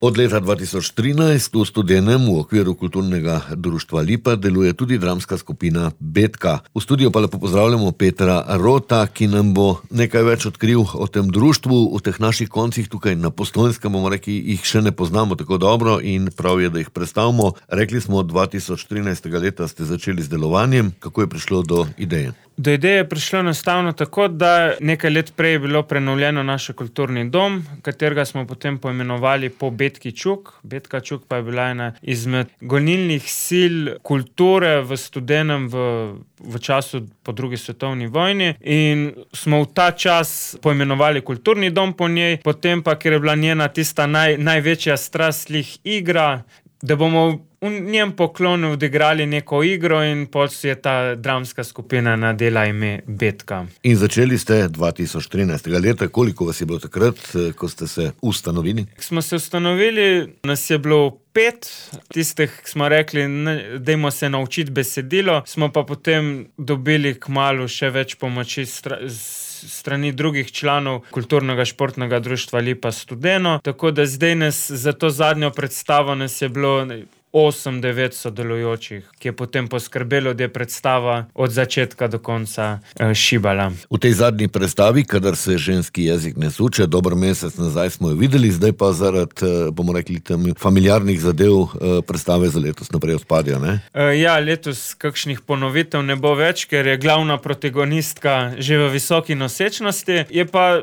Od leta 2013 v Studenem v okviru kulturnega društva Lipa deluje tudi dramska skupina Betka. V studiu pa lepo pozdravljamo Petra Rota, ki nam bo nekaj več odkril o tem društvu. V teh naših koncih tukaj na Postojnskem, bomo rekli, jih še ne poznamo tako dobro in prav je, da jih predstavimo. Rekli smo, 2013. leta ste začeli z delovanjem. Kako je prišlo do ideje? Do ideje je prišlo enostavno tako, da nekaj let prej je bilo prenovljeno naš kulturni dom, katerega smo potem poimenovali po Betki Čuk. Betka Čuk pa je bila ena izmed gonilnih sil kulture v Studenem v času po drugi svetovni vojni in smo v ta čas poimenovali kulturni dom po njej, potem pa, ker je bila njena tista največja strast igra, da bomo v njem poklonu odigrali neko igro in potem je ta dramska skupina nadela ime Betka. In začeli ste 2013. leta. Koliko vas je bilo takrat, ko ste se ustanovili? Smo se ustanovili, nas je bilo 5, tistih smo rekli, dajmo se naučiti besedilo, smo pa potem dobili kmalu še več pomoči strani drugih članov kulturnega športnega društva Lipa Studeno, tako da zdaj za to zadnjo predstavo nas je bilo 8-9 sodelujočih, ki je potem poskrbelo, da je predstava od začetka do konca šibala. V tej zadnji predstavi, kadar se ženski jezik ne suče, dober mesec nazaj smo jo videli, zdaj pa zaradi, bomo rekli, tam familiarnih zadev predstave za letos naprej odpadajo, ne? Ja, letos kakšnih ponovitev ne bo več, ker je glavna protagonistka že v visoki nosečnosti, je pa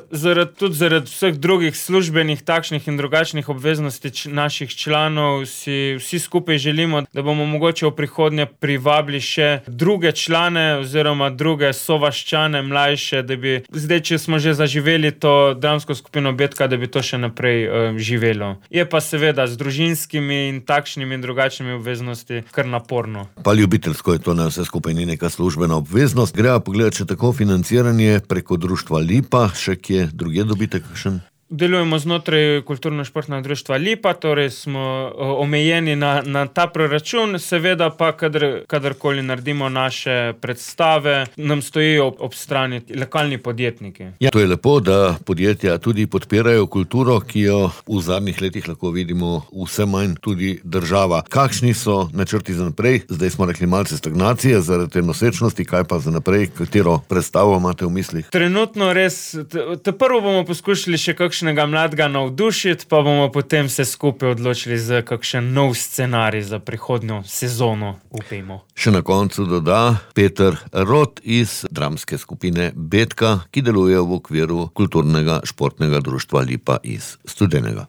tudi zaradi vseh drugih službenih takšnih in drugačnih obveznosti naših članov si vsi skupaj želimo, da bomo mogoče v prihodnje privabili še druge člane oziroma druge sovaščane, mlajše, da bi zdaj, če smo že zaživeli to dramsko skupino Betka, da bi to še naprej živelo. Je pa seveda z družinskimi in takšnimi in drugačnimi obveznosti kar naporno. Pa ljubiteljsko je to, ne, vse skupaj ni neka službena obveznost. Greva pogledati še tako financiranje preko društva Lipa, še kje drugje dobite kakšen? Delujemo znotraj kulturno-športnega društva Lipa, torej smo omejeni na ta proračun, seveda pa kadarkoli naredimo naše predstave, nam stojijo ob strani lokalni podjetniki. Ja, to je lepo, da podjetja tudi podpirajo kulturo, ki jo v zadnjih letih lahko vidimo vse manj tudi država. Kakšni so načrti za naprej? Zdaj smo rekli malce stagnacije zaradi te nosečnosti, kaj pa za naprej, katero predstavo imate v mislih? Trenutno res, prvo bomo poskušali še kakšnega mladega navdušiti, pa bomo potem se skupaj odločili za kakšen nov scenarij za prihodnjo sezono, upajmo. Še na koncu doda Peter Rot iz dramske skupine Betka, ki deluje v okviru kulturnega športnega društva Lipa iz Studenega.